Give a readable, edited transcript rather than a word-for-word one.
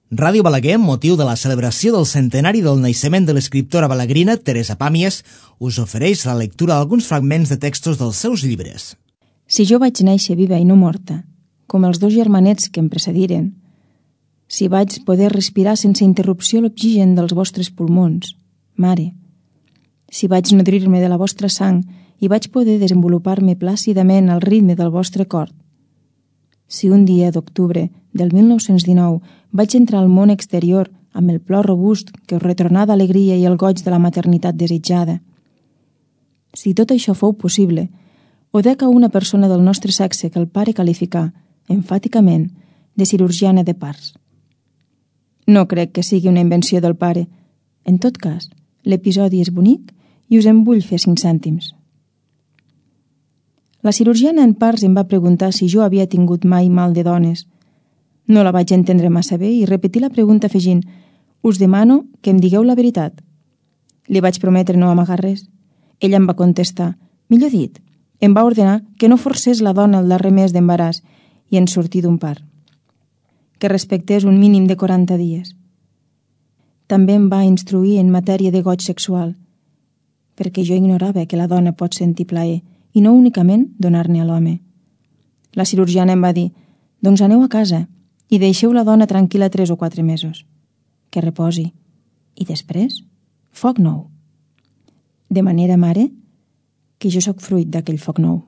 Ràdio Balaguer, amb motiu de la celebració del centenari del naixement de l'escriptora balaguerina Teresa Pàmies, us ofereix la lectura d'alguns fragments de textos dels seus llibres. Si jo vaig néixer viva i no morta, com els dos germanets que em precediren, si vaig poder respirar sense interrupció l'oxigen dels vostres pulmons, mare, si vaig nodrir-me de la vostra sang i vaig poder desenvolupar-me plàcidament al ritme del vostre cor, si un dia d'octubre del 1919 vaig entrar al món exterior amb el plor robust que us retornà d'alegria i el goig de la maternitat desitjada, si tot això fou possible, o dec a una persona del nostre sexe que el pare qualificà, enfàticament, de cirurgiana de parts. No crec que sigui una invenció del pare. En tot cas, l'episodi és bonic i us en vull fer 5 cèntims. La cirurgiana en parts em va preguntar si jo havia tingut mai mal de dones. No la vaig entendre massa bé i repetí la pregunta afegint: «Us demano que em digueu la veritat». Li vaig prometre no amagar res. Ella em va contestar, millor dit, em va ordenar que no forcés la dona el darrer mes d'embaràs i en sortir d'un part, que respectés un mínim de 40 dies. També em va instruir en matèria de goig sexual, perquè jo ignorava que la dona pot sentir plaer i no únicament donar-ne a l'home. La cirurgiana em va dir, doncs aneu a casa i deixeu la dona tranquil·la 3 o 4 mesos, que reposi, i després, foc nou. De manera, mare, que jo sóc fruit d'aquell foc nou.